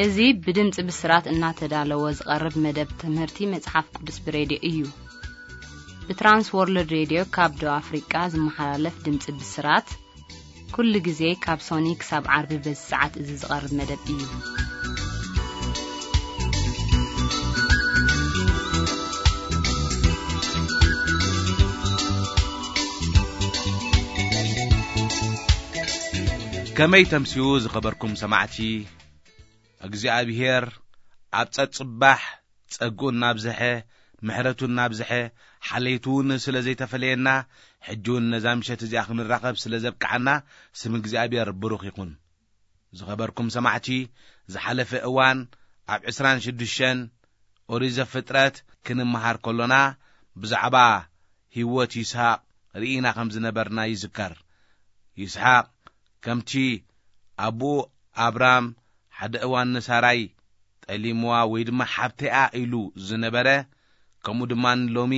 እዚ ብድምፂ ብስራት እናተዳለወ ዝቐርብ መደብ ትምህርቲ መጽሓፍ ቅዱስ ብሬድዮ እዩ። ብትራንስ ወርልድ ሬድዮ ካብ ደቡብ ኣፍሪቃ ዝመሓላለፍ ድምፂ ብስራት፣ ኩሉ ግዜ ካብ ሶኒ ክሳብ ዓርቢ በዚ ሰዓት እዚ ዝቐርብ መደብ እዩ። ከመይ ተምስዩ ዝኸበርኩም ሰማዕቲ? እግዚኣብሔር ኣብ ጸጽባሕ ጸግኡ እናብዝሐ፣ ምሕረቱ እናብዝሐ፣ ሓለይቱ እውን ስለ ዘይተፈለየና፣ ሕጂ እውን ነዛ ምሸት እዚኣ ክንራኸብ ስለ ዘብቅዓና፣ ስም እግዚኣብሔር ብሩኽ ይኹን። ዝኸበርኩም ሰማዕቲ፣ ዝሓለፈ እዋን ኣብ ዕስራን ሽዱሽተን ኦሪት ዘፍጥረት ክንመሃር ከሎና፣ ብዛዕባ ህይወት ይስሐቅ ርኢና ከም ዝነበርና ይዝከር። ይስሐቅ ከምቲ ኣቦኡ ኣብራም ሓደ እዋን ንሳራይ ጠሊምዋ ወይ ድማ ሓብተይኣ ኢሉ ዝነበረ፣ ከምኡ ድማ ሎሚ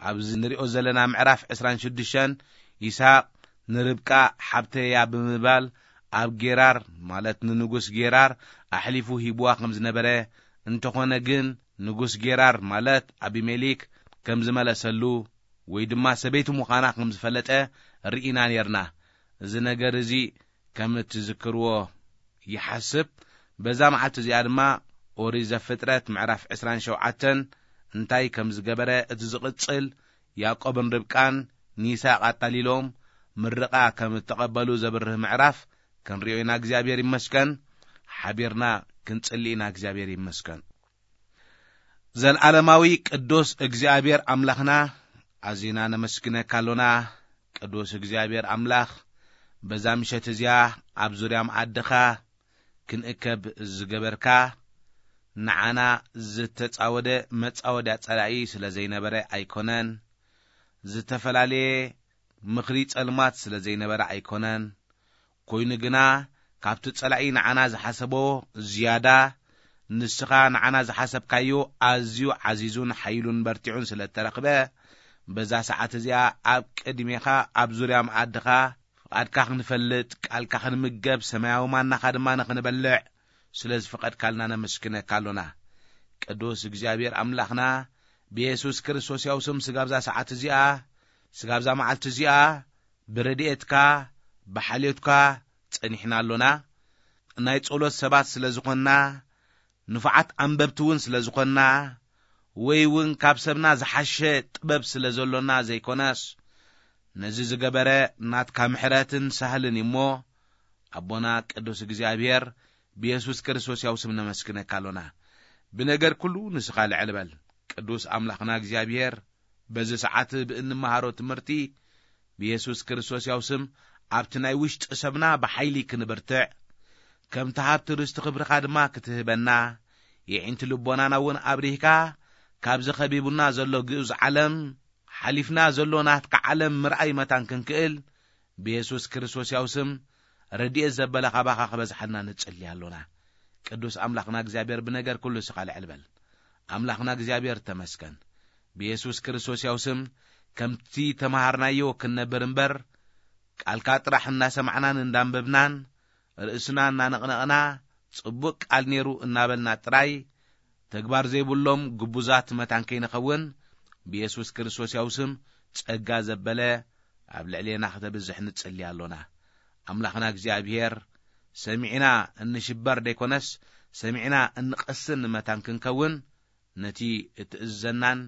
ኣብዚ ንሪኦ ዘለና ምዕራፍ ዕስራን ሽዱሽተን ይስሐቅ ንርብቃ ሓብተያ ብምባል ኣብ ጌራር፣ ማለት ንንጉስ ጌራር ኣሕሊፉ ሂብዋ ከም ዝነበረ፣ እንተኾነ ግን ንጉስ ጌራር፣ ማለት ኣቢሜሌክ፣ ከም ዝመለሰሉ ወይ ድማ ሰበይቲ ምዃና ከም ዝፈለጠ ርኢና ኔርና። እዚ ነገር እዚ ከም እትዝክርዎ ይሓስብ። በዛ መዓልቲ እዚኣ ድማ ኦሪት ዘፍጥረት ምዕራፍ ዕስራን ሸውዓተን እንታይ ከም ዝገበረ፣ እቲ ዝቕጽል ያዕቆብን ርብቃን ንይስሐቅ ኣታሊሎም ምርቓ ከም እተቐበሉ ዘብርህ ምዕራፍ ክንሪኦ ኢና። እግዚኣብሔር ይመስገን። ሓቢርና ክንጽሊ ኢና። እግዚኣብሔር ይመስገን። ዘልዓለማዊ ቅዱስ እግዚኣብሔር ኣምላኽና፣ ኣዚና ነመስግነካ ኣሎና። ቅዱስ እግዚኣብሔር ኣምላኽ፣ በዛ ምሸት እዚኣ ኣብ ዙርያ መኣድኻ ክንእከብ ዝገበርካ፣ ንዓና ዝተጻወደ መጻወድያ ጸላኢ ስለ ዘይነበረ ኣይኮነን። ዝተፈላለየ ምኽሪ ጸልማት ስለ ዘይነበረ ኣይኮነን። ኮይኑ ግና፣ ካብቲ ጸላኢ ንዓና ዝሓሰቦ ዝያዳ፣ ንስኻ ንዓና ዝሓሰብካዮ ኣዝዩ ዓዚዙን ሓይሉን በርቲዑን ስለ እተረኽበ፣ በዛ ሰዓት እዚኣ ኣብ ቅድሜኻ፣ ኣብ ዙርያ መኣድኻ፣ ፍቓድካ ክንፈልጥ፣ ቃልካ ክንምገብ፣ ሰማያዊ ማናኻ ድማ ንኽንበልዕ ስለ ዝፈቐድካልና ነመስግነካ ኣሎና። ቅዱስ እግዚኣብሔር ኣምላኽና፣ ብየሱስ ክርስቶስ ያው ስም ስጋብዛ ሰዓት እዚኣ፣ ስጋብዛ መዓልቲ እዚኣ፣ ብረድኤትካ፣ ብሓልዮትካ ጸኒሕና ኣሎና። ናይ ጸሎት ሰባት ስለ ዝኾንና፣ ንፉዓት ኣንበብቲ እውን ስለ ዝኾንና፣ ወይ እውን ካብ ሰብና ዝሓሸ ጥበብ ስለ ዘሎና ዘይኮነስ፣ ነዚ ዝገበረ ናትካ ምሕረትን ሳህልን እዩ እሞ፣ ኣቦና ቅዱስ እግዚኣብሔር ብየሱስ ክርስቶስ ያው ስም ነመስግነካ ኣሎና። ብነገር ኩሉ ንስኻ ልዕል በል። ቅዱስ ኣምላኽና እግዚኣብሔር፣ በዚ ሰዓት ብእንመሃሮ ትምህርቲ ብየሱስ ክርስቶስ ያው ስም ኣብቲ ናይ ውሽጢ ሰብና ብሓይሊ ክንብርትዕ፣ ከምቲ ሃብቲ ርስቲ ክብርኻ ድማ ክትህበና፣ የዒንቲ ልቦናና እውን ኣብሪህካ ካብዚ ከቢቡና ዘሎ ግኡዝ ዓለም ሓሊፍና ዘሎ ናትካ ዓለም ምርኣይ መታን ክንክእል ብየሱስ ክርስቶስ ያው ስም ረድኤት ዘበለ ካባኻ ክበዝሓልና ንጽሊ ኣሎና። ቅዱስ ኣምላኽና እግዚኣብሔር ብነገር ኩሉ ንስኻ ልዕል በል። ኣምላኽና እግዚኣብሔር ተመስገን። ብየሱስ ክርስቶስ ያው ስም ከምቲ ተማሃርናዮ ክንነብር እምበር፣ ቃልካ ጥራሕ እናሰማዕናን እንዳንበብናን ርእስና እናነቕነቕና ጽቡቕ ቃል ነይሩ እናበልና ጥራይ ተግባር ዘይብሎም ግቡዛት መታን ከይንኸውን ብየሱስ ክርስቶስ ያው ስም ጸጋ ዘበለ ኣብ ልዕሌና ክተብዝሕ ንጽሊ ኣሎና። ኣምላኽና እግዚኣብሔር ሰሚዕና እንሽበር ደይኮነስ ሰሚዕና እንቐስን መታን ክንከውን ነቲ እትእዝዘናን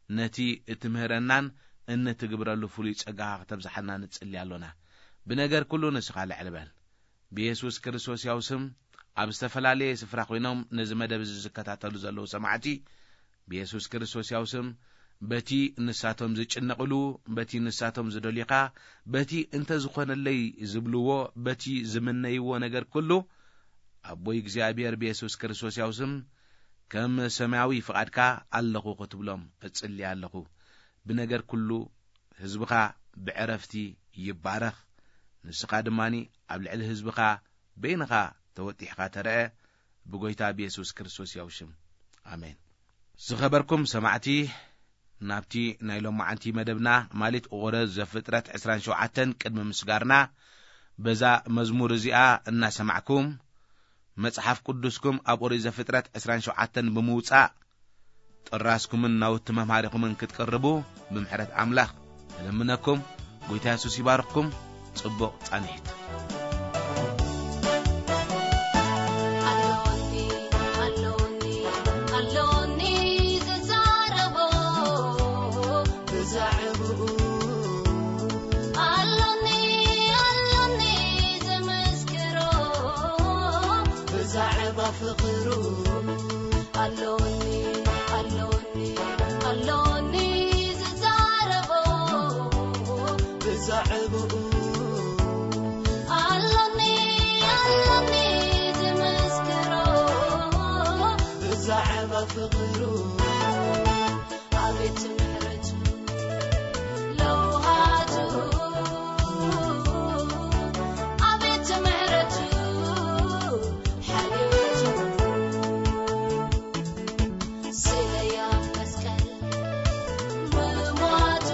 ነቲ እትምህረናን እንትግብረሉ ፍሉይ ጸጋኻ ክተብዝሓልና ንጽሊ ኣሎና። ብነገር ኩሉ ንስኻ ልዕል በል። ብየሱስ ክርስቶስ ያው ስም ኣብ ዝተፈላለየ ስፍራ ኮይኖም ነዚ መደብ እዚ ዝከታተሉ ዘለዉ ሰማዕቲ ብየሱስ ክርስቶስ ያው ስም በቲ ንሳቶም ዝጭነቕሉ፣ በቲ ንሳቶም ዝደልዩኻ፣ በቲ እንተ ዝኾነለይ ዝብልዎ፣ በቲ ዝምነይዎ ነገር ኩሉ ኣቦይ እግዚኣብሔር ብየሱስ ክርስቶስ ያው ስም ከም ሰማያዊ ፍቓድካ ኣለኹ ክትብሎም እጽሊ ኣለኹ። ብነገር ኩሉ ህዝብኻ ብዕረፍቲ ይባረኽ። ንስኻ ድማኒ ኣብ ልዕሊ ህዝብኻ በይንኻ ተወጢሕካ ተረአ ብጎይታ ብየሱስ ክርስቶስ ያው ሽም። ኣሜን። ዝኸበርኩም ሰማዕቲ፣ ናብቲ ናይ ሎማዓንቲ መደብና ማለት ኦሪት ዘፍጥረት ዕስራን ሸውዓተን ቅድሚ ምስጋርና በዛ መዝሙር እዚኣ እናሰማዕኩም መጽሓፍ ቅዱስኩም ኣብ ኦሪት ዘፍጥረት ዕስራን ሸውዓተን ብምውጻእ፣ ጥራዝኩምን ናውቲ መምሃሪኹምን ክትቅርቡ ብምሕረት ኣምላኽ እልምነኩም። ጎይታ የሱስ ይባርኽኩም። ጽቡቕ ጻንሒት። ኣሎኒ፣ ኣሎኒ፣ ኣሎኒ ዝዛረቦ ብዛዕባኡ። ኣሎኒ፣ ኣሎኒ ዝምስክሮ ብዛዕባ ፍቕሩ። ኣሎኒ፣ ኣሎኒ፣ ኣሎኒ ዝዛረቦ ብዛዕባኡ። ኣሎኒ፣ ኣሎኒ ዝምስክሮ ብዛዕባ ፍቕሩ። ኣቤት ምሕረቱ ለውሃቱ፣ ኣቤት ምሕረቱ ሓልዮቱ። ስለያ መስቀል ምሟቱ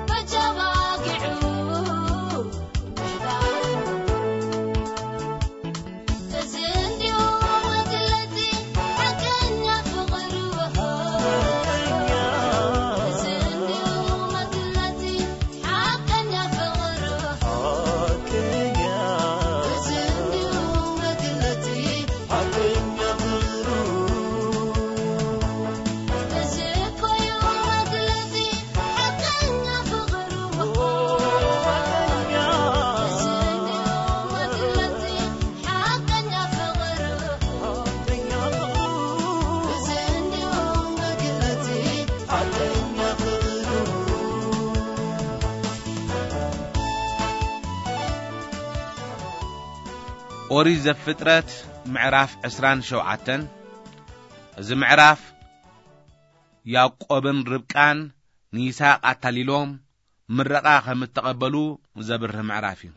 በጃ ባጊዑ ምሕዳሩ። እዚ እንዲሁ መግለጺ ሓቀኛ ፍቕሩ። እዚ እንዲሁ መግለጺ ሓቀኛ ፍቕሩ። እዚ እንዲሁ መግለጺ ሓቀኛ ፍቕሩ። እዚ እኮ እዩ መግለጺ ሓቀኛ ፍቕሩ። እዚ እንዲሁ መግለጺ ሓቀኛ ፍቕሩ። እዚ እንዲሁ መግለጺ ሓቀኛ ፍቕሩ። ኦሪት ዘፍጥረት ምዕራፍ ዕስራን ሸውዓተን። እዚ ምዕራፍ ያዕቆብን ርብቃን ንይስሐቅ ኣታሊሎም ምረቓ ከም እተቐበሉ ዘብርህ ምዕራፍ እዩ።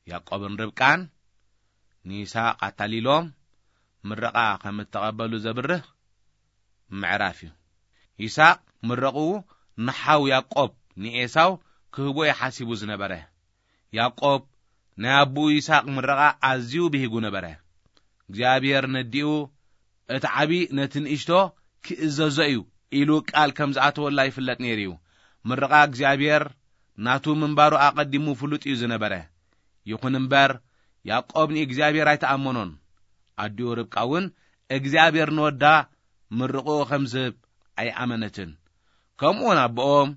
ያዕቆብን ርብቃን ንይስሐቅ ኣታሊሎም ምረቓ ከም እተቐበሉ ዘብርህ ምዕራፍ እዩ። ይስሐቅ ምረቕኡ ንሓው ያዕቆብ ንኤሳው ክህቦ እዩ ሓሲቡ ዝነበረ። ያዕቆብ ናይ ኣቦኡ ይስሐቅ ምረቓ ኣዝዩ ብሂጉ ነበረ። እግዚኣብሔር ነዲኡ እቲ ዓቢ ነቲ ንእሽቶ ክእዘዞ እዩ ኢሉ ቃል ከም ዝኣተወላ ይፍለጥ ነይሩ እዩ። ምርቓ እግዚኣብሔር ናቱ ምንባሩ ኣቐዲሙ ፍሉጥ እዩ ዝነበረ። ይኹን እምበር፣ ያዕቆብ ንእግዚኣብሔር ኣይተኣመኖን። ኣዲኡ ርብቃ እውን እግዚኣብሔር ንወዳ ምርቕኡ ከም ዝህብ ኣይኣመነትን። ከምኡውን ኣቦኦም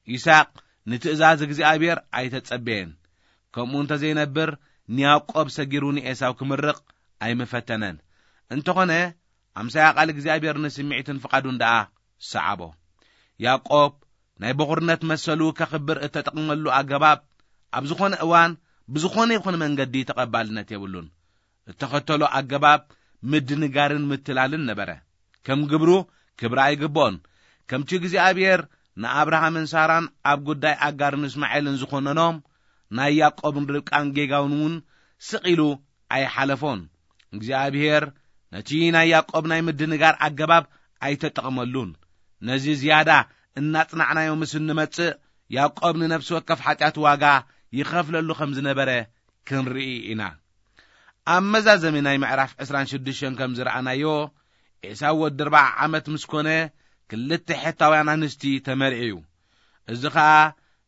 ይስሐቅ ንትእዛዝ እግዚኣብሔር ኣይተጸበየን። ከምኡ እንተ ዘይነብር፣ ንያዕቆብ ሰጊሩ ንኤሳው ክምርቕ ኣይምፈተነን። እንተኾነ፣ ኣምሳያ ቃል እግዚኣብሔር ንስምዒትን ፍቓዱን ደኣ ሰዓቦ። ያዕቆብ ናይ በኹርነት መሰሉ ከኽብር እተጠቕመሉ ኣገባብ ኣብ ዝኾነ እዋን ብዝኾነ ይኹን መንገዲ ተቐባልነት የብሉን። እተኸተሎ ኣገባብ ምድንጋርን ምትላልን ነበረ። ከም ግብሩ ክብሪ ኣይግብኦን። ከምቲ እግዚኣብሔር ንኣብርሃምን ሳራን ኣብ ጉዳይ ኣጋርን እስማኤልን ዝኾነኖም፣ ናይ ያዕቆብን ርብቃን ጌጋውን እውን ስቕ ኢሉ ኣይሓለፎን። እግዚኣብሔር ነቲ ናይ ያዕቆብ ናይ ምድንጋር ኣገባብ ኣይተጠቕመሉን። ነዚ ዝያዳ እናጽናዕናዮ ምስ እንመጽእ፣ ያዕቆብ ንነፍሲ ወከፍ ሓጢኣት ዋጋ ይኸፍለሉ ከም ዝነበረ ክንርኢ ኢና። ኣብ መዛዘሚ ናይ ምዕራፍ ዕስራን ሽዱሽተን ከም ዝረኣናዮ፣ ኤሳው ወዲ ኣርብዓ ዓመት ምስ ኮነ፣ ክልተ ሔታውያን ኣንስቲ ተመርዒ እዩ። እዚ ኸኣ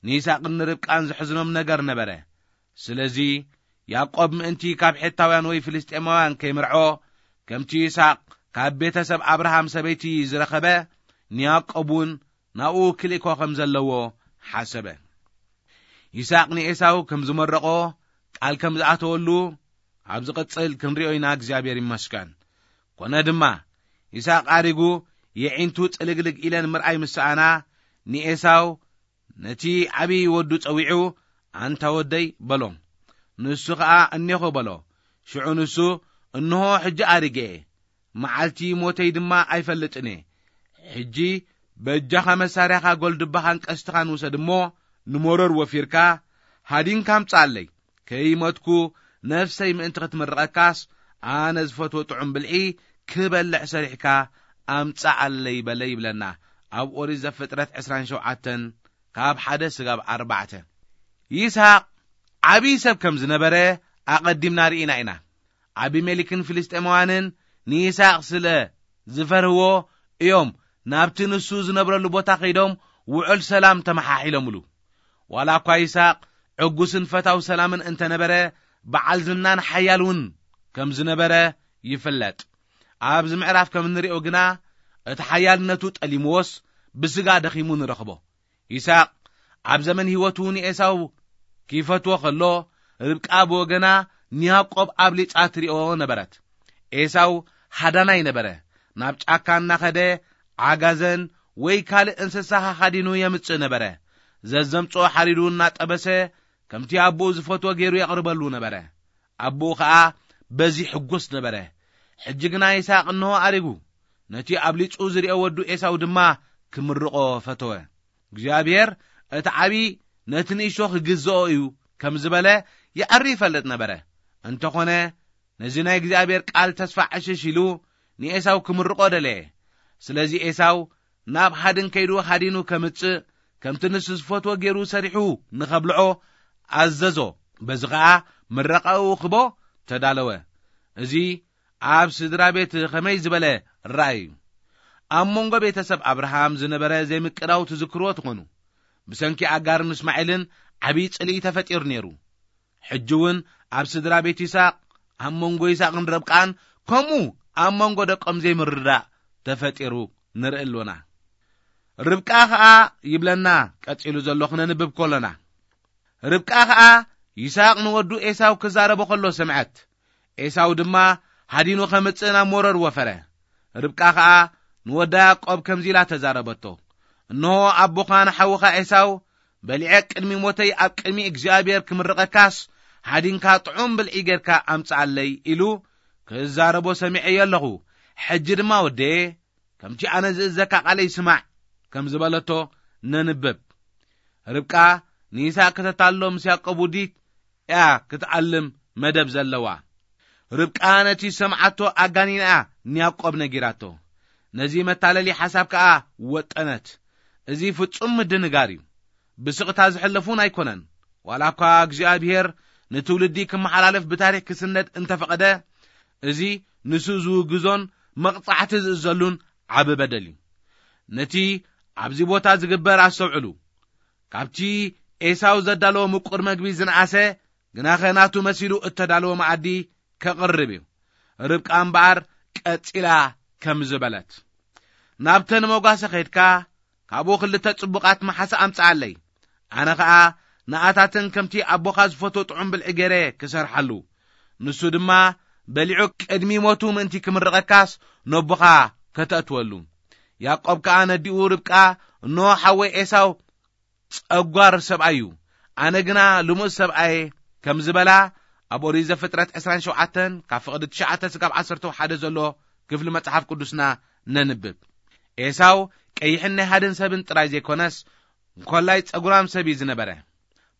ንይስሐቅን ንርብቃን ዘሕዝኖም ነገር ነበረ። ስለዚ፣ ያዕቆብ ምእንቲ ካብ ሔታውያን ወይ ፍልስጤማውያን ከይምርዖ፣ ከምቲ ይስሐቅ ካብ ቤተሰብ ኣብርሃም ሰበይቲ ዝረኸበ፣ ንያዕቆብ እውን ናብኡ ክልእኮ ከም ዘለዎ ሓሰበ። ይስሐቅ ንኤሳው ከም ዝመረቖ ቃል ከም ዝኣተወሉ ኣብ ዝቕጽል ክንሪኦ ኢና። እግዚኣብሔር ይመስገን። ኮነ ድማ፣ ይስሐቅ ኣሪጉ የዒንቱ ጽልግልግ ኢለን ምርኣይ ምስ ሰኣና፣ ንኤሳው ነቲ ዓብዪ ወዱ ጸዊዑ፣ "ኣንታ ወደይ" በሎ። ንሱ ኸኣ "እኔኹ" በሎ። ሽዑ ንሱ፣ "እንሆ ሕጂ ኣሪገ እየ፣ መዓልቲ ሞተይ ድማ ኣይፈልጥን እየ። ሕጂ በጃኻ መሳርያኻ ጐልድባኻን ቀስትኻን ውሰድ እሞ፣ ንመሮር ወፊርካ ሃዲንካ ኣምጽኣለይ። ከይሞትኩ ነፍሰይ ምእንቲ ክትምርቐካስ፣ ኣነ ዝፈትዎ ጥዑም ብልዒ ክበልዕ ሰሪሕካ ኣምጽኣለይ" በለ ይብለና ኣብ ኦሪት ዘፍጥረት ዕስራን ሸውዓተን ካብ ሓደ ስጋብ ኣርባዕተ። ይስሐቅ ዓብዪ ሰብ ከም ዝነበረ ኣቐዲምና ርኢና ኢና። ኣቢሜሌክን ፍልስጤማውያንን ንይስሐቅ ስለ ዝፈርህዎ እዮም ናብቲ ንሱ ዝነብረሉ ቦታ ከይዶም ውዑል ሰላም ተመሓሒሎምሉ። ዋላ እኳ ይስሐቅ ዕጉስን ፈታው ሰላምን እንተነበረ፣ በዓል ዝናን ሓያል እውን ከም ዝነበረ ይፍለጥ። ኣብዚ ምዕራፍ ከም እንሪኦ ግና፣ እቲ ሓያልነቱ ጠሊምዎስ ብስጋ ደኺሙ ንረኽቦ። ይስሐቅ ኣብ ዘመን ህይወቱ ንኤሳው ኪፈትዎ ከሎ፣ ርብቃ ብወገና ንያዕቆብ ኣብሊጻ ትሪኦ ነበረት። ኤሳው ሃዳናይ ነበረ። ናብ ጫካ እናኸደ ዓጋዘን ወይ ካልእ እንስሳ ሃኻዲኑ የምጽእ ነበረ። ዘዘምጽኦ ሓሪዱ እናጠበሰ ከምቲ ኣቦኡ ዝፈትዎ ገይሩ የቕርበሉ ነበረ። ኣቦኡ ኸኣ በዚ ሕጉስ ነበረ። ሕጂ ግና ይስሐቅ እንሆ ኣሪጉ። ነቲ ኣብሊጹ ዝሪኦ ወዱ ኤሳው ድማ ክምርቖ ፈተወ። እግዚኣብሔር እቲ ዓቢ ነቲ ንእሽቶ ክግዝኦ እዩ ከም ዝበለ ይዐሪ ይፈልጥ ነበረ። እንተኾነ ነዚ ናይ እግዚኣብሔር ቃል ተስፋ ዕሽሽ ኢሉ ንኤሳው ክምርቖ ደለየ። ስለዚ ኤሳው ናብ ሃድን ከይዱ ሃዲኑ ከምጽእ፣ ከምቲ ንሱ ዝፈትዎ ገይሩ ሰሪሑ ንኸብልዖ ኣዘዞ። በዚ ኸኣ ምረቓኡ ክቦ ተዳለወ። እዚ ኣብ ስድራ ቤት ኸመይ ዝበለ ራእይ እዩ። ኣብ መንጎ ቤተሰብ ኣብርሃም ዝነበረ ዘይምቅዳው ትዝክርዎ ትኾኑ። ብሰንኪ ኣጋርን እስማኤልን ዓብዪ ጽልኢ ተፈጢሩ ነይሩ። ሕጂ እውን ኣብ ስድራ ቤት ይስሐቅ፣ ኣብ መንጎ ይስሐቅን ርብቃን፣ ከምኡ ኣብ መንጎ ደቆም ዘይምርዳእ ተፈጢሩ ንርኢ ኣሎና። ርብቃ ኸኣ ይብለና፣ ቀጺሉ ዘሎ ክነንብብ ከሎና። ርብቃ ኸኣ ይስሐቅ ንወዱ ኤሳው ክዛረቦ ከሎ ሰምዐት። ኤሳው ድማ ሃዲኑ ኸምጽእ ናብ መሮር ወፈረ። ርብቃ ኸኣ ንወዳ ያዕቆብ ከምዚ ኢላ ተዛረበቶ፣ እንሆ ኣቦኻ ንሓውኻ ኤሳው በሊዐ ቅድሚ ሞተይ ኣብ ቅድሚ እግዚኣብሔር ክምርቐካስ፣ ሃዲንካ ጥዑም ብልዒ ጌርካ ኣምጽኣለይ ኢሉ ክዛረቦ ሰሚዐዮ ኣለኹ። ሕጂ ድማ ወደየ፣ ከምቲ ኣነ ዝእዘካ ቃለይ ስማዕ ከም ዝበለቶ ነንብብ። ርብቃ ንይስሐቅ ከተታልሎ ምስ ያዕቆብ ውዲት እያ ክትዓልም መደብ ዘለዋ። ርብቃ ነቲ ዝሰምዓቶ ኣጋኒና እያ ንያዕቆብ ነጊራቶ። ነዚ መታለሊ ሓሳብ ከኣ ወጠነት። እዚ ፍጹም ምድንጋር እዩ። ብስቕታ ዝሕለፍ እውን ኣይኮነን። ዋላ እኳ እግዚኣብሔር ንትውልዲ ክመሓላለፍ ብታሪኽ ክስነድ እንተፈቐደ፣ እዚ ንሱ ዝውግዞን መቕጻዕቲ ዝእዘሉን ዓቢ በደል እዩ። ነቲ ኣብዚ ቦታ ዝግበር ኣስተውዕሉ። ካብቲ ኤሳው ዘዳለዎ ምቁር መግቢ ዝነኣሰ፣ ግናኸ ናቱ መሲሉ እተዳለወ መኣዲ ከቕርብ እዩ። ርብቃ እምበኣር ቀጺላ ከም ዝበለት፣ ናብተን መጓሰ ኸይድካ፣ ካብኡ ክልተ ጽቡቓት መሓሳ ኣምጽኣለይ። ኣነ ኸኣ ንኣታተን ከምቲ ኣቦኻ ዝፈትዎ ጥዑም ብልዒ ገይረ ክሰርሓሉ፣ ንሱ ድማ በሊዑ ቅድሚ ሞቱ ምእንቲ ክምርቐካስ ነቦኻ ከተእትወሉ። ያዕቆብ ከኣ ነዲኡ ርብቃ፣ እንሆ ሓወይ ኤሳው ጸጓር ሰብኣይ እዩ፣ ኣነ ግና ልሙስ ሰብኣየ ከም ዝበላ ኣብ ኦሪት ዘፍጥረት ዕስራን ሸውዓተን ካብ ፍቕዲ ትሽዓተ ስጋብ ዓሰርተ ሓደ ዘሎ ክፍሊ መጽሓፍ ቅዱስና ነንብብ። ኤሳው ቀይሕን ናይ ሃድን ሰብን ጥራይ ዘይኮነስ፣ እንኮላይ ጸጉራም ሰብ እዩ ዝነበረ።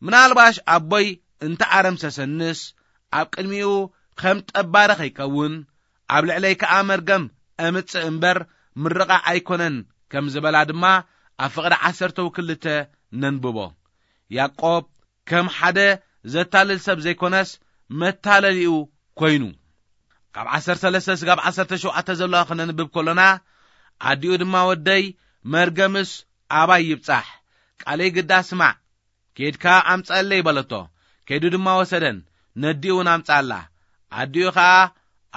ምናልባሽ ኣቦይ እንተ ኣረምሰሰንስ፣ ኣብ ቅድሚኡ ከም ጠባሪ ኸይከውን፣ ኣብ ልዕለይ ከኣ መርገም እምጽእ እምበር ምርቓ ኣይኮነን ከም ዝበላ ድማ ኣብ ፍቕዲ ዓሰርተ ክልተ ነንብቦ። ያዕቆብ ከም ሓደ ዘታልል ሰብ ዘይኮነስ መታለሊኡ ኮይኑ። ካብ ዓሰርተ ሰለስተ ስጋብ ዓሰርተ ሸውዓተ ዘለዋ ክነንብብ ከሎና፣ ኣዲኡ ድማ ወደይ መርገምስ ኣባይ ይብጻሕ፣ ቃለይ ግዳ ስማዕ፣ ኬድካ ኣምጸለይ በለቶ። ከይዱ ድማ ወሰደን፣ ነዲኡ እውን ኣምጻላ። ኣዲኡ ኸኣ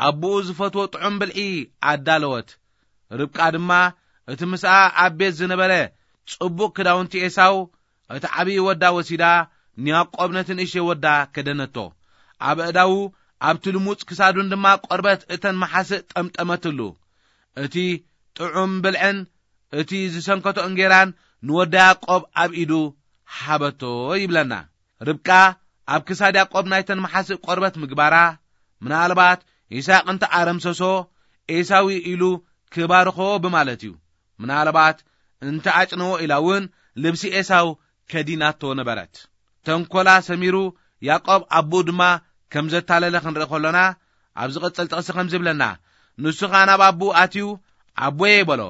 ኣቦኡ ዝፈትዎ ጥዑም ብልዒ ኣዳለወት። ርብቃ ድማ እቲ ምስኣ ኣብ ቤት ዝነበረ ጽቡቕ ክዳውንቲ ኤሳው፣ እቲ ዓብዪ ወዳ ወሲዳ ንያዕቆብ ነቲ ንእሽተይ ወዳ ከደነቶ። ኣብ ኣእዳዉ ኣብቲ ልሙጽ ክሳዱን ድማ ቆርበት እተን መሓስእ ጠምጠመትሉ። እቲ ጥዑም ብልዕን እቲ ዝሰንከቶ እንጌራን ንወዳ ያዕቆብ ኣብ ኢዱ ሃበቶ ይብለና። ርብቃ ኣብ ክሳድ ያዕቆብ ናይተን መሓስእ ቆርበት ምግባራ፣ ምናልባት ይስሐቅ እንተ ኣረምሰሶ ኤሳው ኢሉ ክባርኾ ብማለት እዩ። ምናልባት እንተ ኣጭነዎ ኢላ እውን ልብሲ ኤሳው ከዲናቶ ነበረት። ተንኮላ ሰሚሩ ያዕቆብ ኣቦኡ ድማ ከም ዘታለለ ክንርኢ ከሎና፣ ኣብ ዝቕጽል ጥቕሲ ከም ዝብለና፣ ንሱ ኸኣ ናብ ኣቦኡ ኣትዩ፣ ኣቦየ በሎ።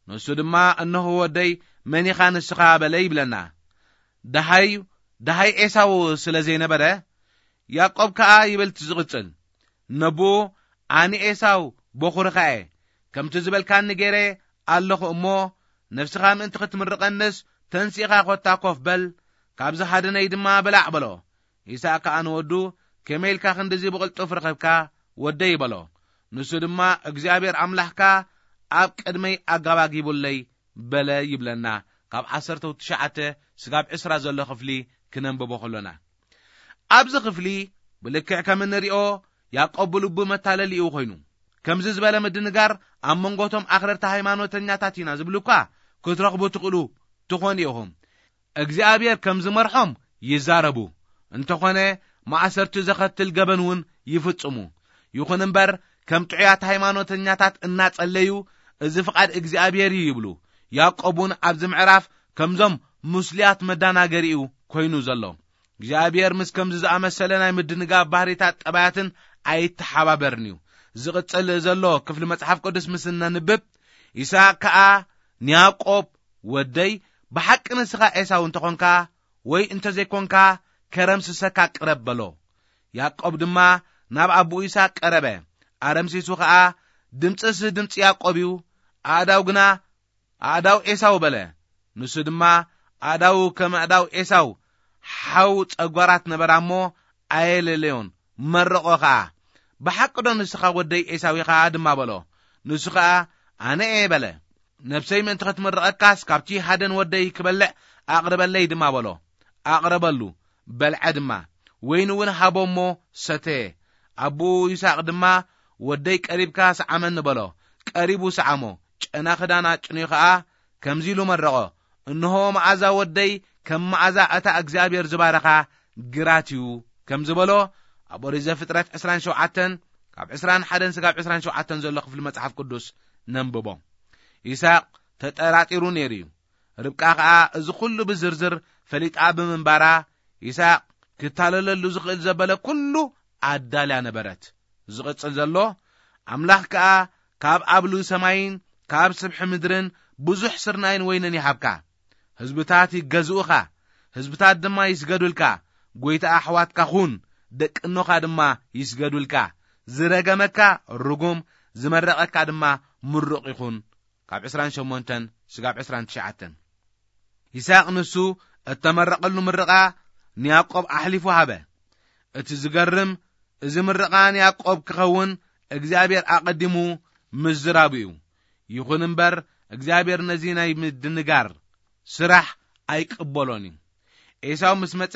ንሱ ድማ፣ እንሆ ወደይ፣ መን ኢኻ ንስኻ በለ ይብለና። ደሃዩ ደሃይ ኤሳው ስለ ዘይነበረ፣ ያዕቆብ ከኣ ይብል እቲ ዝቕጽል፣ ነብኡ፣ ኣነ ኤሳው በኹርኻ እየ፣ ከምቲ ዝበልካኒ ገይረ ኣለኹ እሞ፣ ነፍስኻ ምእንቲ ክትምርቐንስ ተንሲእኻ ኾታ ኮፍ በል፣ ካብዚ ሃደነይ ድማ ብላዕ በሎ። ይስሐቅ ከኣ ንወዱ፣ ከመይ ኢልካ ክንድዚ ብቕልጡፍ ረኸብካ ወደይ በሎ። ንሱ ድማ፣ እግዚኣብሔር ኣምላኽካ ኣብ ቅድመይ ኣጋባጊቡለይ በለ ይብለና። ካብ ዓሰርተ ትሽዓተ ስጋብ ዕስራ ዘሎ ክፍሊ ክነንብቦ ከሎና፣ ኣብዚ ክፍሊ ብልክዕ ከም እንሪኦ ያዕቆብ ብልቡ መታለሊኡ ኮይኑ፣ ከምዚ ዝበለ ምድንጋር ኣብ መንጎቶም ኣኽረርቲ ሃይማኖተኛታት ኢና ዝብሉ እኳ ክትረኽቡ ትኽእሉ ትኾኑ ኢኹም። እግዚኣብሔር ከም ዝመርሖም ይዛረቡ፣ እንተኾነ ማእሰርቲ ዘኸትል ገበን እውን ይፍጽሙ። ይኹን እምበር፣ ከም ጥዑያት ሃይማኖተኛታት እናጸለዩ፣ እዚ ፍቓድ እግዚኣብሔር እዩ ይብሉ። ያዕቆብ እውን ኣብዚ ምዕራፍ ከምዞም ምስሉያት መዳናገሪኡ ኮይኑ ዘሎ። እግዚኣብሔር ምስ ከምዚ ዝኣመሰለ ናይ ምድንጋር ባህሪታት ጠባያትን ኣይተሓባበርን እዩ። ዝቕጽል ዘሎ ክፍሊ መጽሓፍ ቅዱስ ምስ እነንብብ፣ ይስሐቅ ከኣ ንያዕቆብ፣ ወደይ፣ ብሓቂ ንስኻ ኤሳው እንተኾንካ ወይ እንተዘይኮንካ ከረምስሰካ ቅረብ በሎ። ያዕቆብ ድማ ናብ ኣቦኡ ይስሐቅ ቀረበ። ኣረምሲሱ ኸኣ፣ ድምጽስ ድምጺ ያዕቆብ እዩ፣ ኣእዳው ግና ኣእዳው ኤሳው በለ። ንሱ ድማ ኣእዳው ከም ኣእዳው ኤሳው ሓው ጸጓራት ነበራ እሞ ኣየለለዮን፣ መረቖ ኸኣ። ብሓቂ ዶ ንስኻ ወደይ ኤሳው ኢኻ ድማ በሎ። ንሱ ኸኣ ኣነ እየ በለ። ነብሰይ ምእንቲ ክትምርቐካስ ካብቲ ሃደን ወደይ ክበልዕ ኣቕርበለይ ድማ በሎ። ኣቕረበሉ፣ በልዐ ድማ። ወይኒ እውን ሃቦ እሞ ሰተየ። ኣቦኡ ይስሐቅ ድማ ወደይ ቀሪብካ ሰዓመኒ በሎ። ቀሪቡ ሰዓሞ። ጨና ክዳን ኣጭንዩ ኸኣ ከምዚ ኢሉ መረቖ፣ እንሆ መኣዛ ወደይ ከም መኣዛ እታ እግዚኣብሔር ዝባረኻ ግራት እዩ ከም ዝበሎ ኣብ ኦሪት ዘፍጥረት ዕስራን ሸውዓተን ካብ ዕስራን ሓደን ስጋብ ዕስራን ሸውዓተን ዘሎ ክፍሊ መጽሓፍ ቅዱስ ነንብቦ። ይስሐቅ ተጠራጢሩ ነይሩ እዩ። ርብቃ ኸኣ እዚ ኹሉ ብዝርዝር ፈሊጣ ብምንባራ፣ ይስሐቅ ክታለለሉ ዝኽእል ዘበለ ኩሉ ኣዳልያ ነበረት። ዝቕጽል ዘሎ፣ ኣምላኽ ከኣ ካብ ኣብ ልኡይ ሰማይን ካብ ስብሒ ምድርን ብዙሕ ስርናይን ወይንን ይሃብካ። ህዝብታት ይገዝኡኻ፣ ህዝብታት ድማ ይስገዱልካ። ጐይታ ኣሕዋትካ ኹን፣ ደቂ እኖኻ ድማ ይስገዱልካ። ዝረገመካ ርጉም፣ ዝመረቐካ ድማ ምሩቕ ይኹን። ካብ ዕስራን ሸሞንተን ስጋብ ዕስራን ትሽዓተን። ይስሐቅ ንሱ እተመረቐሉ ምርቓ ንያዕቆብ ኣሕሊፉ ሃበ። እቲ ዝገርም፣ እዚ ምርቓ ንያዕቆብ ክኸውን እግዚኣብሔር ኣቐዲሙ ምዝራቡ እዩ። ይኹን እምበር፣ እግዚኣብሔር ነዚ ናይ ምድንጋር ስራሕ ኣይቅበሎን እዩ። ኤሳው ምስ መጸ፣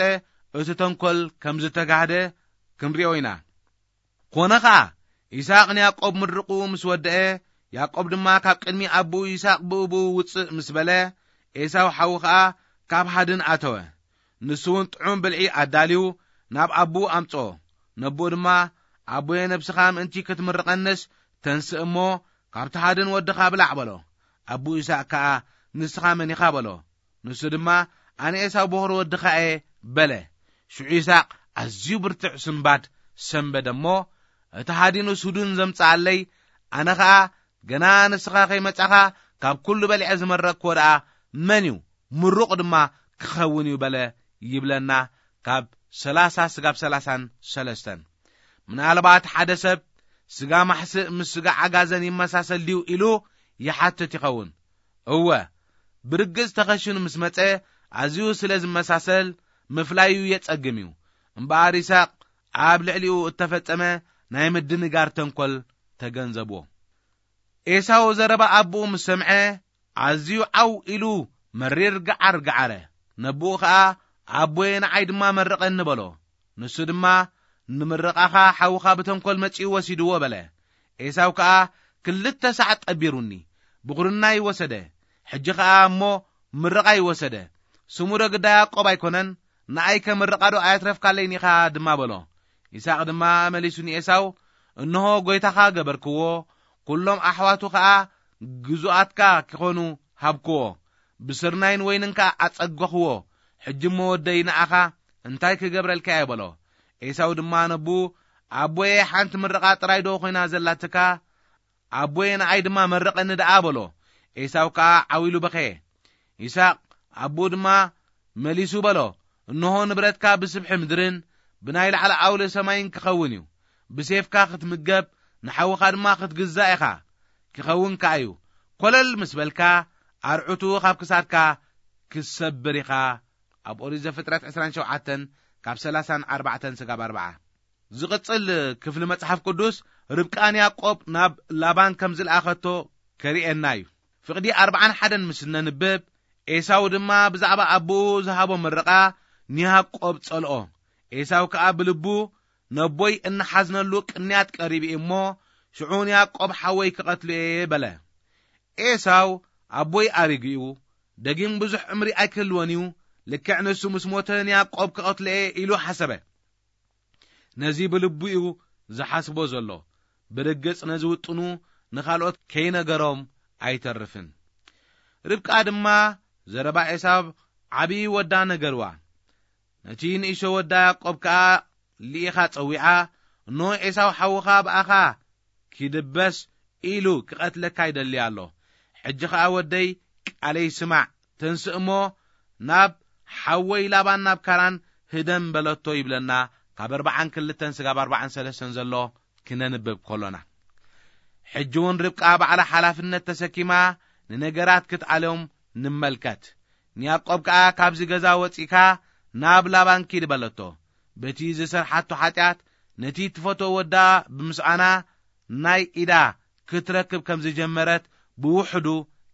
እቲ ተንኮል ከም ዝተጋህደ ክንሪኦ ኢና። ኮነ ኸኣ፣ ይስሐቅ ንያዕቆብ ምርቑ ምስ ወደአ፣ ያዕቆብ ድማ ካብ ቅድሚ ኣቦኡ ይስሐቅ ብእብኡ ውጽእ ምስ በለ፣ ኤሳው ሓዉ ኸኣ ካብ ሃድን ኣተወ። ንሱ እውን ጥዑም ብልዒ ኣዳልዩ ናብ ኣቦኡ ኣምጽኦ። ነቦኡ ድማ፣ ኣቦየ ነብስኻ ምእንቲ ክትምርቐንስ ተንስእ እሞ፣ ካብቲ ሃድን ወድኻ ብላዕ በሎ። ኣቦኡ ይስሐቅ ከኣ፣ ንስኻ መን ኢኻ በሎ። ንሱ ድማ፣ ኣነ ኤሳው በኹሪ ወድኻ እየ በለ። ሽዑ ይስሐቅ ኣዝዩ ብርቱዕ ስንባድ ሰንበደ እሞ፣ እቲ ሃዲኑስ ህዱን ዘምጽኣለይ፣ ኣነ ኸኣ ገና ንስኻ ከይመጻኻ ካብ ኩሉ በሊዐ ዝመረቕክዎ ደኣ መን እዩ? ምሩቕ ድማ ክኸውን እዩ በለ ይብለና ካብ ሰላሳ ስጋብ ሰላሳን ሰለስተን። ምናልባት ሓደ ሰብ ስጋ ማሕስእ ምስ ስጋ ዓጋዘን ይመሳሰል ድዩ ኢሉ ይሓትት ይኸውን። እወ፣ ብርግጽ ተኸሽኑ ምስ መጸ ኣዝዩ ስለ ዝመሳሰል ምፍላዩ የጸግም እዩ። እምበኣር ይስሐቅ ኣብ ልዕሊኡ እተፈጸመ ናይ ምድንጋር ተንኮል ተገንዘብዎ። ኤሳው ዘረባ ኣቦኡ ምስ ሰምዐ ኣዝዩ ዓው ኢሉ መሪር ገዓር ገዓረ። ነቦኡ ኸኣ ኣቦየ ንዓይ ድማ መርቐኒ በሎ። ንሱ ድማ ንምርቓኻ ሓውኻ ብተንኮል መጺኡ ወሲድዎ በለ። ኤሳው ከኣ ክልተ ሳዕ ጠቢሩኒ፣ ብኹርናይ ወሰደ። ሕጂ ኸኣ እሞ ምርቓይ ወሰደ። ስሙ ዶ ግዳ ያዕቆብ ኣይኮነን? ንኣይከ ምርቓ ዶ ኣየትረፍካለይን ኢኻ ድማ በሎ። ይስሐቅ ድማ መሊሱ ንኤሳው፣ እንሆ ጐይታኻ ገበርክዎ፣ ኵሎም ኣሕዋቱ ኸኣ ግዙኣትካ ኪኾኑ ሃብክዎ፣ ብስርናይን ወይንን ከኣ ኣጸገኽዎ። ሕጂ እሞ ወደይ ንኣኻ እንታይ ክገብረልካ እየ በሎ። ኤሳው ድማ ነብኡ፣ ኣቦየ ሓንቲ ምርቓ ጥራይ ዶ ኾይና ዘላትካ? ኣቦየ ንኣይ ድማ መርቐኒ ደኣ በሎ። ኤሳው ከኣ ዓው ኢሉ በኸየ። ይስሐቅ ኣቦኡ ድማ መሊሱ በሎ፣ እንሆ ንብረትካ ብስብሒ ምድርን ብናይ ላዕሊ ዓውሊ ሰማይን ክኸውን እዩ። ብሴፍካ ክትምገብ፣ ንሓውኻ ድማ ክትግዛእ ኢኻ። ክኸውን ከኣ እዩ። ኮለል ምስ በልካ፣ ኣርዑቱ ካብ ክሳድካ ክሰብር ኢኻ። ኣብ ኦሪት ዘፍጥረት ዕስራን ሸውዓተን ካብ ሰላሳን ኣርባዕተን ስጋብ ኣርብዓ። ዝቕጽል ክፍሊ መጽሓፍ ቅዱስ፣ ርብቃ ንያዕቆብ ናብ ላባን ከም ዝለኣኸቶ ከርእየና እዩ። ፍቕዲ ኣርባዓን ሓደን ምስ እነንብብ፣ ኤሳው ድማ ብዛዕባ ኣቦኡ ዝሃቦ ምርቓ ንያዕቆብ ጸልኦ። ኤሳው ከኣ ብልቡ፣ "ነቦይ እንሓዝነሉ ቅንያት ቀሪቡ እዩ እሞ፣ ሽዑ ንያዕቆብ ሓወይ ክቐትሎ እየ" በለ። ኤሳው፣ "ኣቦይ ኣሪጉ እዩ፣ ደጊም ብዙሕ ዕምሪ ኣይክህልዎን እዩ፣ ልክዕ ንሱ ምስ ሞተ ንያዕቆብ ክቐትሎ እየ" ኢሉ ሓሰበ። ነዚ ብልቡ እዩ ዝሓስቦ ዘሎ። ብርግጽ ነዚ ውጥኑ ንኻልኦት ከይነገሮም ኣይተርፍን። ርብቃ ድማ ዘረባ ኤሳው ዓቢ ወዳ ነገርዋ። ነቲ ንእሾ ወዳ ያዕቆብ ከኣ ልኢኻ ጸዊዓ፣ "እኖ ኤሳው ሓውኻ ብኣኻ ኪድበስ ኢሉ ክቐትለካ ይደሊ ኣሎ። ሕጂ ኸኣ ወደይ ቃለይ ስማዕ፣ ተንስእ እሞ ናብ ሓወይ ላባን ናብ ካራን ህደም" በለቶ ይብለና። ካብ ኣርባዓን ክልተን ስጋብ ኣርባዓን ሰለስተን ዘሎ ክነንብብ ከሎና፣ ሕጂ እውን ርብቃ ባዕላ ሓላፍነት ተሰኪማ ንነገራት ክትኣልዮም ንመልከት። ንያዕቆብ ከኣ፣ "ካብዚ ገዛ ወጺእካ ናብ ላባን ኪድ" በለቶ። በቲ ዝሰርሓቶ ሓጢኣት፣ ነቲ ትፈትዎ ወዳ ብምስኣና፣ ናይ ኢዳ ክትረክብ ከም ዝጀመረት ብውሕዱ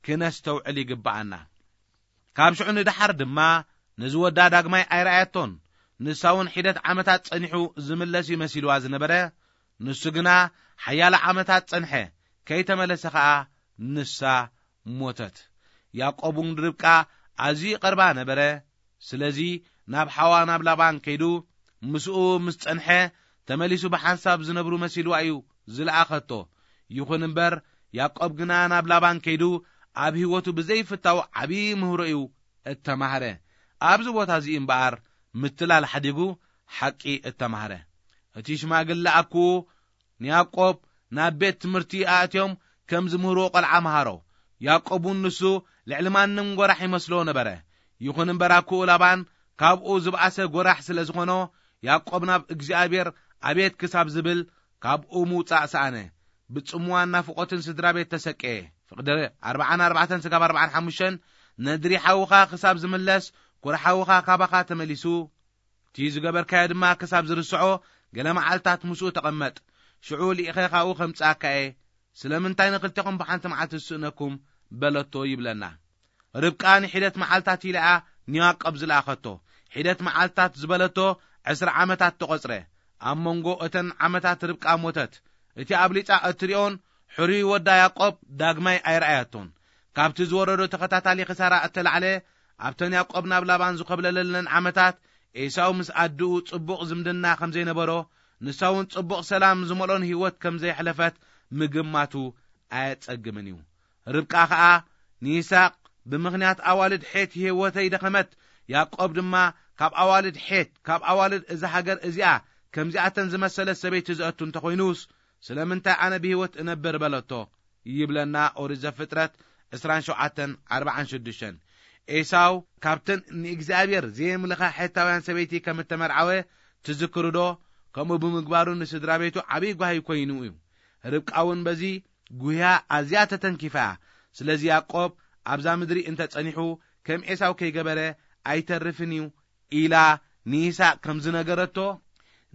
ክነስተውዕል ይግብኣና። ካብ ሽዑ ንደሓር ድማ ነዚ ወዳ ዳግማይ ኣይረኣየቶን። ንሳ እውን ሒደት ዓመታት ጸኒሑ ዝምለስ እዩ መሲልዋ ዝነበረ። ንሱ ግና ሓያለ ዓመታት ጸንሐ፣ ከይተመለሰ ኸኣ ንሳ ሞተት። ያዕቆብ እውን ንርብቃ ኣዝዩ ይቐርባ ነበረ። ስለዚ ናብ ሓዋ ናብ ላባን ከይዱ ምስኡ ምስ ጸንሐ፣ ተመሊሱ ብሓንሳብ ዝነብሩ መሲልዋ እዩ ዝለኣኸቶ። ይኹን እምበር፣ ያዕቆብ ግና ናብ ላባን ከይዱ ኣብ ህይወቱ ብዘይፍታው ዓቢ ምህሮ እዩ እተማህረ። ኣብዚ ቦታ እዚ እምበኣር ምትላል ሓዲጉ ሓቂ እተማህረ። እቲ ሽማግለ ኣኩኡ ንያዕቆብ ናብ ቤት ትምህርቲ ኣእትዮም ከም ዝምህርዎ ቆልዓ መሃሮ። ያዕቆብ እውን ንሱ ልዕሊ ማንም ጎራሕ ይመስሎ ነበረ። ይኹን እምበር ኣኩኡ ላባን ካብኡ ዝበኣሰ ጎራሕ ስለ ዝኾኖ፣ ያዕቆብ ናብ እግዚኣብሔር ኣቤት ክሳብ ዝብል ካብኡ ምውጻእ ሰኣነ። ብጽምዋን ናፍቖትን ስድራ ቤት ተሰቀየ። ፍቕዲ ኣርባዓን ኣርባዕተን ስጋብ ኣርባዓን ሓሙሽተን፣ ነድሪ ሓውኻ ክሳብ ዝምለስ፣ ኩራ ሓውኻ ካባኻ ተመሊሱ፣ እቲ ዝገበርካዮ ድማ ክሳብ ዝርስዖ፣ ገለ መዓልታት ምስኡ ተቐመጥ። ሽዑ ልኢኸ ካብኡ ከምጽኣካ እየ። ስለምንታይ ንኽልቴኹም ብሓንቲ መዓልቲ ዝስእነኩም? በለቶ ይብለና። ርብቃ ንሒደት መዓልታት ኢላኣ ንያዕቆብ ዝለኣኸቶ። ሒደት መዓልታት ዝበለቶ ዕስራ ዓመታት ተቖጽረ። ኣብ መንጎ እተን ዓመታት ርብቃ ሞተት። እቲ ኣብሊጻ እትሪኦን ሕሩይ ወዳ ያዕቆብ ዳግማይ ኣይረኣየቶን። ካብቲ ዝወረዶ ተኸታታሊ ክሳራ እተላዕለ፣ ኣብተን ያዕቆብ ናብ ላባን ዝኾብለለለን ዓመታት፣ ኤሳው ምስ ኣድኡ ጽቡቕ ዝምድና ከም ዘይነበሮ፣ ንሳ እውን ጽቡቕ ሰላም ዝመልኦን ህይወት ከም ዘየሕለፈት ምግማቱ ኣየጸግምን እዩ። ርብቃ ኸኣ ንይስሐቅ፣ "ብምኽንያት ኣዋልድ ሔት ህይወተይ ደኸመት፣ ያዕቆብ ድማ ካብ ኣዋልድ ሔት፣ ካብ ኣዋልድ እዛ ሃገር እዚኣ፣ ከምዚኣተን ዝመሰለት ሰበይቲ ዘእቱ እንተኾይኑስ፣ ስለምንታይ ኣነ ብህይወት እነብር?" በለቶ። ይብለና ኦሪት ዘፍጥረት ዕስራን ሸውዓተን ኣርባዓን ሽዱሽተን። ኤሳው ካብተን ንእግዚኣብሔር ዘየምልኻ ሔታውያን ሰበይቲ ከም እተመርዓወ ትዝክሩ ዶ? ከምኡ ብምግባሩ ንስድራ ቤቱ ዓብዪ ጓሂ ኮይኑ እዩ። ርብቃ እውን በዚ ጉህያ ኣዝያ ተተንኪፋ እያ። ስለዚ ያዕቆብ ኣብዛ ምድሪ እንተ ጸኒሑ ከም ኤሳው ከይገበረ ኣይተርፍን እዩ ኢላ ንይስሐቅ ከም ዝነገረቶ፣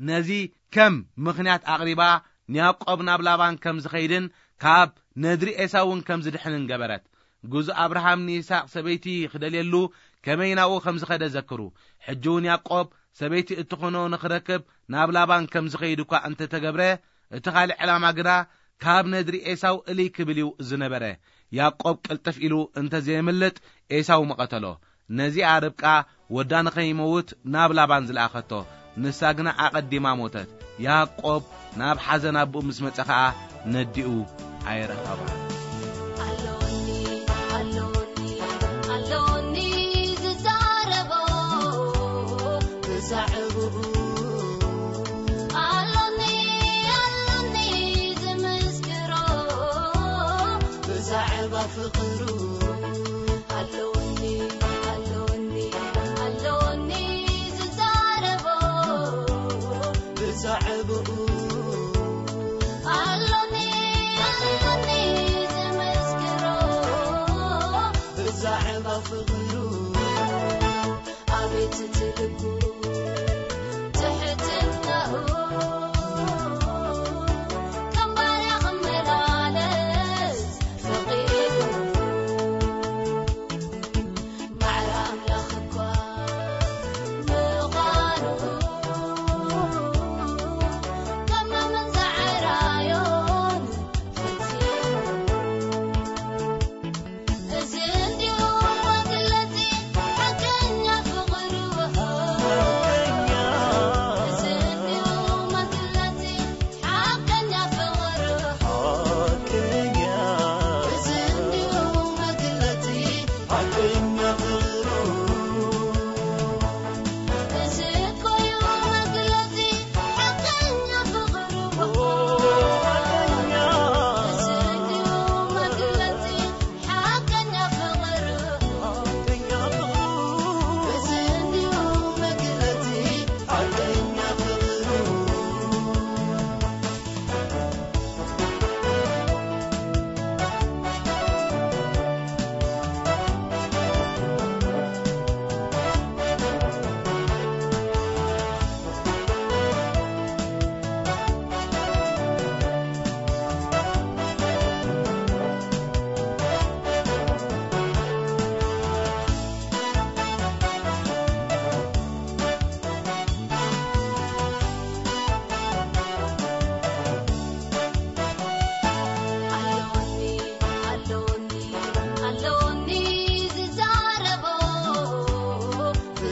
ነዚ ከም ምኽንያት ኣቕሪባ ንያዕቆብ ናብ ላባን ከም ዝኸይድን ካብ ነድሪ ኤሳው እውን ከም ዝድሕንን ገበረት። ግዙእ ኣብርሃም ንይስሐቅ ሰበይቲ ክደልየሉ ከመይ ናብኡ ከም ዝኸደ ዘክሩ። ሕጂ እውን ያዕቆብ ሰበይቲ እትኾኖ ንኽረክብ ናብ ላባን ከም ዝኸይድ እኳ እንተተገብረ፣ እቲ ካልእ ዕላማ ግና ካብ ነድሪ ኤሳው እልይ ክብል እዩ ዝነበረ። ያዕቆብ ቅልጥፍ ኢሉ እንተዘየምልጥ ኤሳው ምቐተሎ። ነዚኣ ርብቃ ወዳ ንኸይመውት ናብ ላባን ዝለኣኸቶ፣ ንሳ ግና ኣቐዲማ ሞተት። ያዕቆብ ናብ ሓዘን ኣቦኡ ምስ መጸ ኸኣ ነዲኡ ኣይረኸባን። ኣሎኒ፣ ኣሎኒ፣ ኣሎኒ ዝዛረቦ ብዛዕባኡ። ኣሎኒ፣ ኣሎኒ ዝምስክሮ ብዛዕባ ፍቕሩ። ኣሎኒ፣ ኣሎኒ፣ ኣሎኒ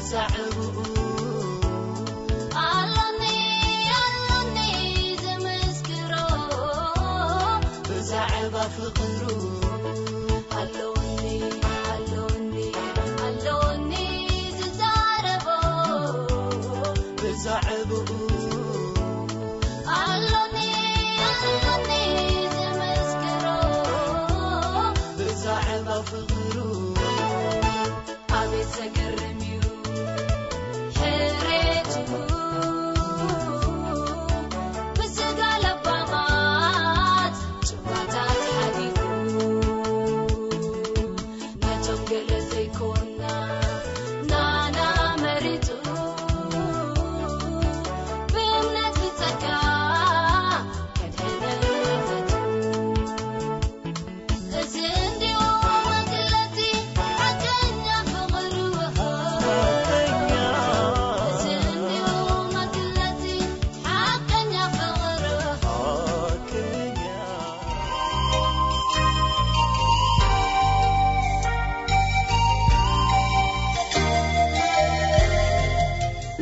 ዛዕባኡ ኣሎኒ፣ ኣሎኒ ዝምስክሮ፣ ብዛዕባ ፍቕሩ ኣሎኒ፣ ኣሎኒ፣ ኣሎኒ ዝዛረቦ፣ ብዛዕባኡ ኣሎኒ፣ ኣሎኒ ዝምስክሮ፣ ብዛዕባ ፍቕሩ ኣቤት ዘገርም እዩ ሕሬቱ፣ ብስጋ ለባማት ጭዋታት ሓሊፉ፣ ነቶም ገለ ዘይኮና ናና መሪጹ፣ ብእምነት ብጸጋ ከድሕነና ፈቱ። እዚ እንዲሁ መግለጺ ሓቀኛ ፍቕሩ፣ እዚ እንዲሁ መግለጺ ሓቀኛ ፍቕሩ።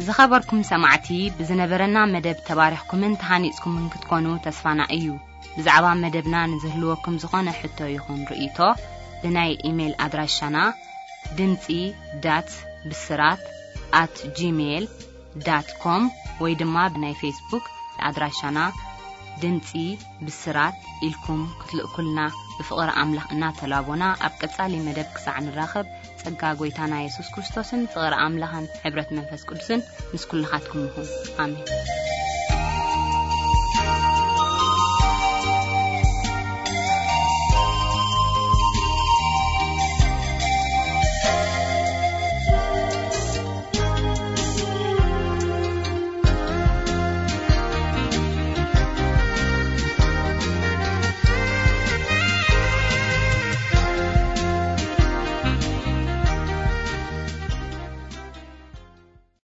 ዝኸበርኩም ሰማዕቲ፣ ብዝነበረና መደብ ተባሪኽኩምን ተሃኒጽኩምን ክትኮኑ ተስፋና እዩ። ብዛዕባ መደብና ንዝህልወኩም ዝኾነ ሕቶ ይኹን ርእይቶ፣ ብናይ ኢሜይል ኣድራሻና ድምጺ ዳት ብስራት ኣት ጂሜይል ዳት ኮም ወይ ድማ ብናይ ፌስቡክ ኣድራሻና ድምጺ ብስራት ኢልኩም ክትልእኩልና ብፍቕሪ ኣምላኽ እናተላቦና፣ ኣብ ቀጻሊ መደብ ክሳዕ ንራኸብ፣ ጸጋ ጐይታና የሱስ ክርስቶስን ፍቕሪ ኣምላኽን ሕብረት መንፈስ ቅዱስን ምስ ኩልኻትኩም ይኹን። ኣሜን።